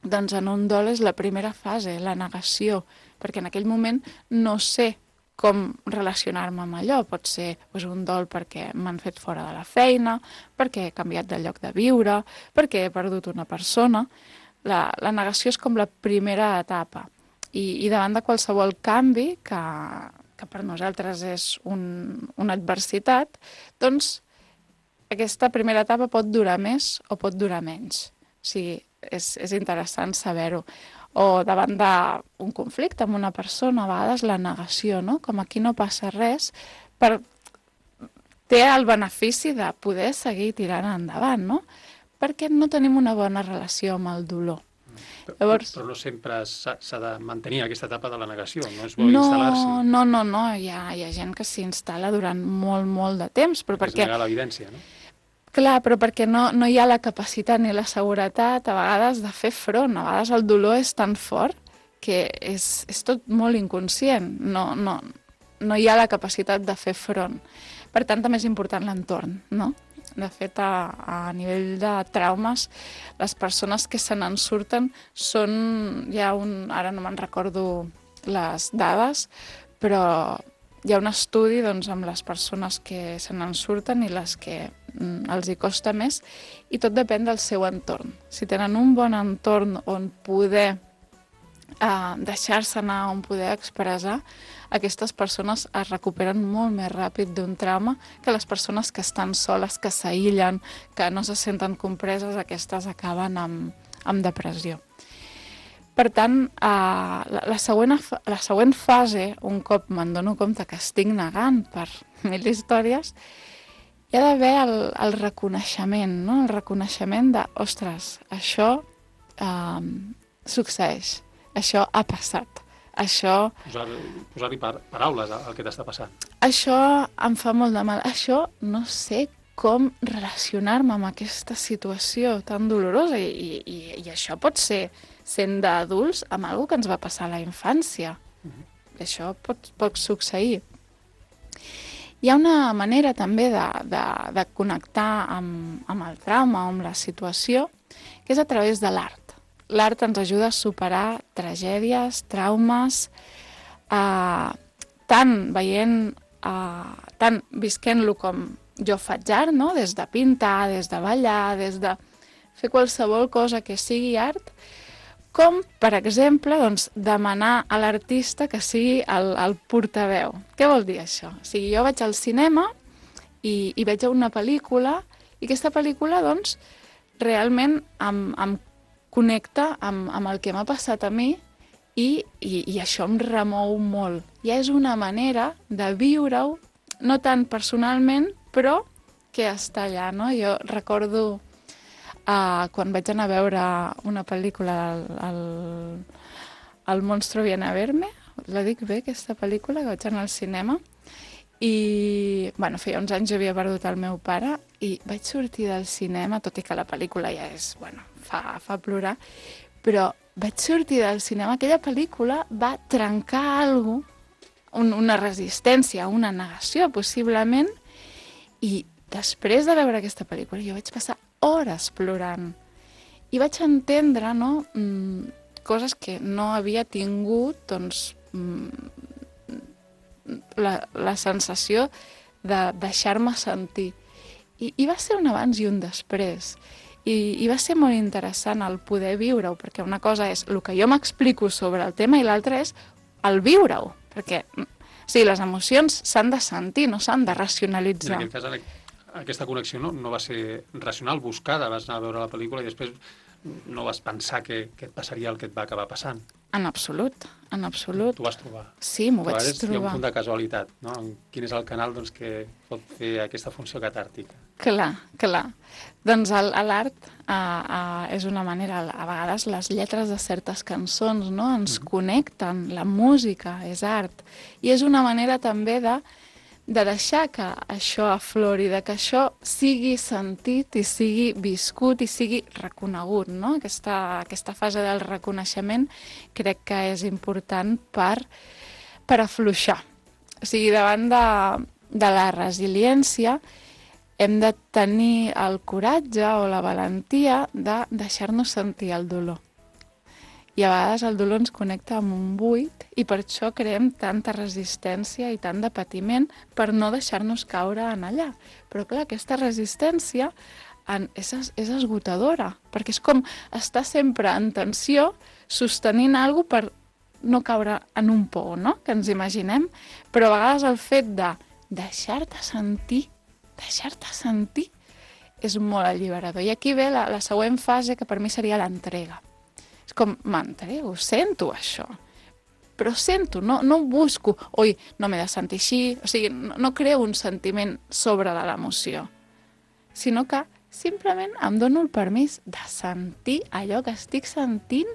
doncs en un dol és la primera fase, la negació, perquè en aquell moment no sé com relacionar-me amb allò. Pot ser doncs, un dol perquè m'han fet fora de la feina, perquè he canviat de lloc de viure, perquè he perdut una persona. La, la negació és com la primera etapa. I, i davant de qualsevol canvi, que, que per nosaltres és un, una adversitat, doncs aquesta primera etapa pot durar més o pot durar menys. O sigui, és, és interessant saber-ho. O davant d'un conflicte amb una persona, a vegades la negació, no? Com aquí no passa res, per... té el benefici de poder seguir tirant endavant, no? Perquè no tenim una bona relació amb el dolor. Llavors... Però no sempre s'ha de mantenir aquesta etapa de la negació, no és bo no, instal·lar-s'hi. No, no, no, hi ha, hi ha gent que s'hi instal·la durant molt, molt de temps, però perquè... És negar l'evidència, no? Clar, però perquè no, no hi ha la capacitat ni la seguretat a vegades de fer front. A vegades el dolor és tan fort que és, és tot molt inconscient. No, no, no hi ha la capacitat de fer front. Per tant, també és important l'entorn, no? De fet, a, a nivell de traumes, les persones que se n'en surten són... Hi ha un, ara no me'n recordo les dades, però hi ha un estudi doncs, amb les persones que se n'en surten i les que mm, els hi costa més, i tot depèn del seu entorn. Si tenen un bon entorn on poder eh, deixar-se anar, on poder expressar, aquestes persones es recuperen molt més ràpid d'un trauma que les persones que estan soles, que s'aïllen, que no se senten compreses, aquestes acaben amb, amb depressió. Per tant, eh, la, la, següent, la següent fase, un cop me'n dono compte que estic negant per mil històries, hi ha d'haver el, el reconeixement, no? El reconeixement de, ostres, això eh, succeeix, això ha passat, això... Posar-hi posar par paraules al que t'està passant. Això em fa molt de mal, això no sé com relacionar-me amb aquesta situació tan dolorosa i, i, i això pot ser, sent d'adults, amb alguna que ens va passar a la infància. Uh-huh. Això pot, pot succeir. Hi ha una manera també de, de, de connectar amb, amb el trauma o amb la situació, que és a través de l'art. L'art ens ajuda a superar tragèdies, traumes, eh, tant veient, eh, tant visquent-lo com jo faig art, no? Des de pintar, des de ballar, des de fer qualsevol cosa que sigui art, com, per exemple, doncs, demanar a l'artista que sigui el, el portaveu. Què vol dir això? O sigui, jo vaig al cinema i, i veig una pel·lícula i aquesta pel·lícula, doncs, realment em, em connecta amb, amb el que m'ha passat a mi i, i, i això em remou molt. Ja és una manera de viure-ho, no tant personalment, però que està allà, no? Jo recordo Uh, quan vaig anar a veure una pel·lícula, el, el, el Monstruo viene a verme, la dic bé, aquesta pel·lícula, que vaig anar al cinema, i bueno, feia uns anys jo havia perdut el meu pare, i vaig sortir del cinema, tot i que la pel·lícula ja és, bueno, fa, fa plorar, però vaig sortir del cinema, aquella pel·lícula va trencar alguna cosa, un, una resistència, una negació, possiblement, i després de veure aquesta pel·lícula jo vaig passar hores plorant i vaig entendre, no, mm, coses que no havia tingut, doncs, mm, la, la sensació de deixar-me sentir. I, I va ser un abans i un després. I, i va ser molt interessant el poder viure-ho, perquè una cosa és el que jo m'explico sobre el tema i l'altra és el viure-ho, perquè o sigui, les emocions s'han de sentir, no s'han de racionalitzar. En aquest cas, aquesta connexió no, no va ser racional, buscada, vas anar a veure la pel·lícula i després no vas pensar que, que et passaria el que et va acabar passant. En absolut, en absolut. T'ho vas trobar. Sí, m'ho vaig trobar. Hi ha un punt de casualitat, no? Quin és el canal doncs, que pot fer aquesta funció catàrtica? Clar, clar. Doncs l'art uh, uh, és una manera, a vegades les lletres de certes cançons, no? Ens mm. connecten, la música és art, i és una manera també de de deixar que això aflori, de que això sigui sentit i sigui viscut i sigui reconegut, no? Aquesta, aquesta fase del reconeixement crec que és important per, per afluixar. O sigui, davant de, de la resiliència, hem de tenir el coratge o la valentia de deixar-nos sentir el dolor. I a vegades el dolor ens connecta amb un buit i per això creem tanta resistència i tant de patiment per no deixar-nos caure en allà. Però clar, aquesta resistència en, és, és esgotadora, perquè és com estar sempre en tensió sostenint alguna cosa per no caure en un pou, no?, que ens imaginem, però a vegades el fet de deixar-te sentir, deixar-te sentir, és molt alliberador. I aquí ve la, la següent fase, que per mi seria l'entrega. És com, m'entrego, sento això, però sento, no, no busco, oi, no m'he de sentir així, o sigui, no, no creo un sentiment sobre de l'emoció, sinó que simplement em dono el permís de sentir allò que estic sentint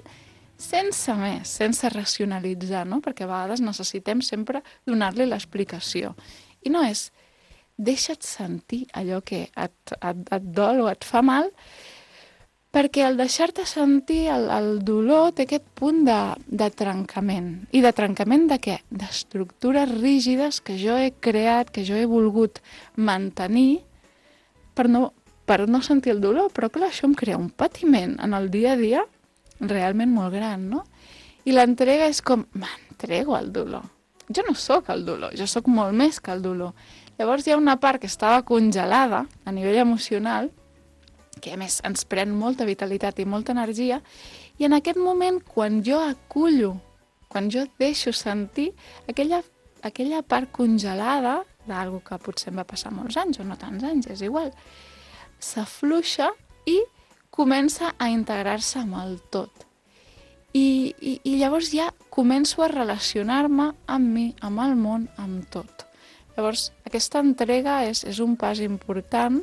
sense més, sense racionalitzar, no? Perquè a vegades necessitem sempre donar-li l'explicació. I no és, deixa't sentir allò que et, et, et dol o et fa mal, perquè al deixar-te sentir el, el dolor té aquest punt de, de trencament. I de trencament de què? D'estructures rígides que jo he creat, que jo he volgut mantenir per no, per no sentir el dolor. Però clar, això em crea un patiment en el dia a dia realment molt gran, no? I l'entrega és com, m'entrego al dolor. Jo no sóc el dolor, jo sóc molt més que el dolor. Llavors hi ha una part que estava congelada a nivell emocional, que a més ens pren molta vitalitat i molta energia, i en aquest moment, quan jo acullo, quan jo deixo sentir, aquella, aquella part congelada, d'algú que potser em va passar molts anys o no tants anys, és igual, s'afluixa i comença a integrar-se amb el tot. I, i, i llavors ja començo a relacionar-me amb mi, amb el món, amb tot. Llavors, aquesta entrega és, és un pas important,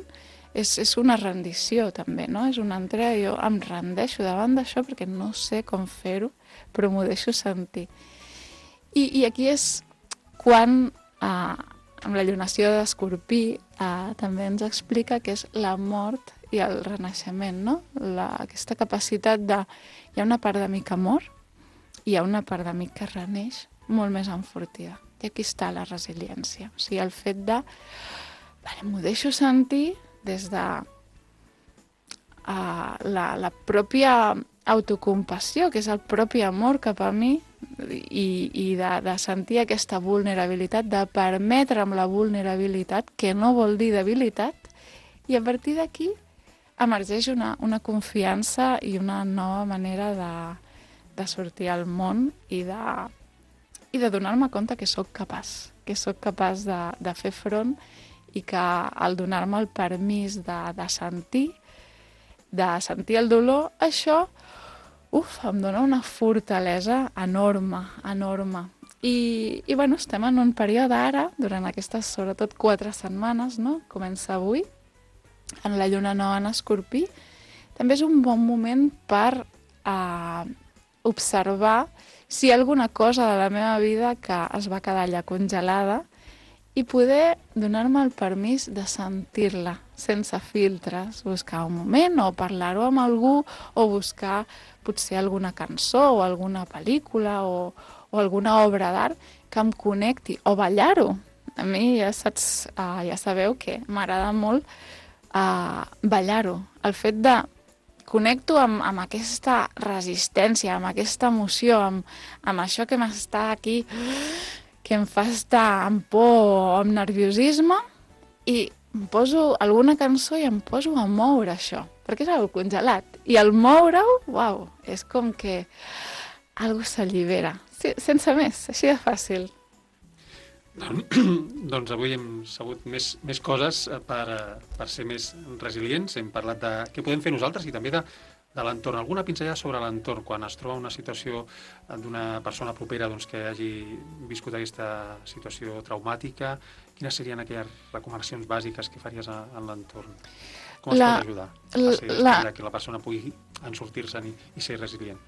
és, és una rendició també, no? És una entrega, jo em rendeixo davant d'això perquè no sé com fer-ho, però m'ho deixo sentir. I, i aquí és quan, eh, amb la llunació d'Escorpí, eh, també ens explica que és la mort i el renaixement, no? La, aquesta capacitat de... Hi ha una part de mi que mor i hi ha una part de mi que reneix molt més enfortida. I aquí està la resiliència. O sigui, el fet de... Vale, m'ho deixo sentir des de uh, la, la pròpia autocompassió, que és el propi amor cap a mi, i, i de, de sentir aquesta vulnerabilitat, de permetre'm la vulnerabilitat, que no vol dir debilitat, i a partir d'aquí emergeix una, una confiança i una nova manera de, de sortir al món i de, i de donar-me compte que sóc capaç, que sóc capaç de, de fer front i que al donar-me el permís de, de sentir, de sentir el dolor, això, uf, em dona una fortalesa enorme, enorme. I, i bueno, estem en un període ara, durant aquestes, sobretot, quatre setmanes, no? Comença avui, en la lluna nova en Escorpí. També és un bon moment per eh, observar si hi ha alguna cosa de la meva vida que es va quedar allà congelada i poder donar-me el permís de sentir-la sense filtres, buscar un moment o parlar-ho amb algú o buscar potser alguna cançó o alguna pel·lícula o, o alguna obra d'art que em connecti o ballar-ho. A mi ja saps, uh, ja sabeu que m'agrada molt uh, ballar-ho. El fet de connecto amb, amb aquesta resistència, amb aquesta emoció, amb, amb això que m'està aquí, que em fa estar amb por o amb nerviosisme, i em poso alguna cançó i em poso a moure això, perquè és algo congelat. I al moure-ho, uau, és com que algo s'allibera. Sí, sense més, així de fàcil. Doncs avui hem sabut més, més coses per, per ser més resilients. Hem parlat de què podem fer nosaltres i també de, de l'entorn. Alguna pinzellada sobre l'entorn quan es troba una situació d'una persona propera doncs, que hagi viscut aquesta situació traumàtica. Quines serien aquelles recomanacions bàsiques que faries a, en l'entorn? Com es la, pot ajudar a ser, la, que la persona pugui en sortir-se'n i, i ser resilient?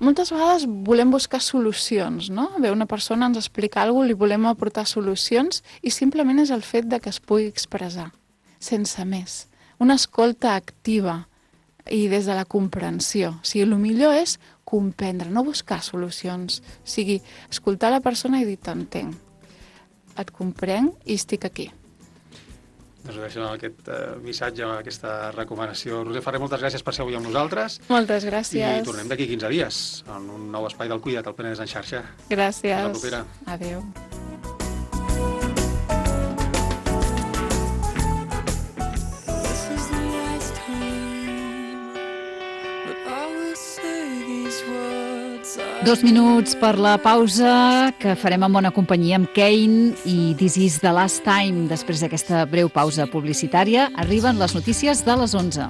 Moltes vegades volem buscar solucions, no? Ve una persona, ens explica alguna cosa, li volem aportar solucions i simplement és el fet de que es pugui expressar, sense més. Una escolta activa i des de la comprensió. O sigui, el millor és comprendre, no buscar solucions. O sigui, escoltar la persona i dir, t'entenc, et comprenc i estic aquí. Doncs ho deixo amb aquest uh, missatge, aquesta recomanació. Roser Ferrer, moltes gràcies per ser avui amb nosaltres. Moltes gràcies. I tornem d'aquí quinze dies, en un nou espai del Cuida't, al Penedès en xarxa. Gràcies. Fins la propera. Adéu. Dos minuts per la pausa que farem en bona companyia amb Kane i This is the last time. Després d'aquesta breu pausa publicitària arriben les notícies de les onze.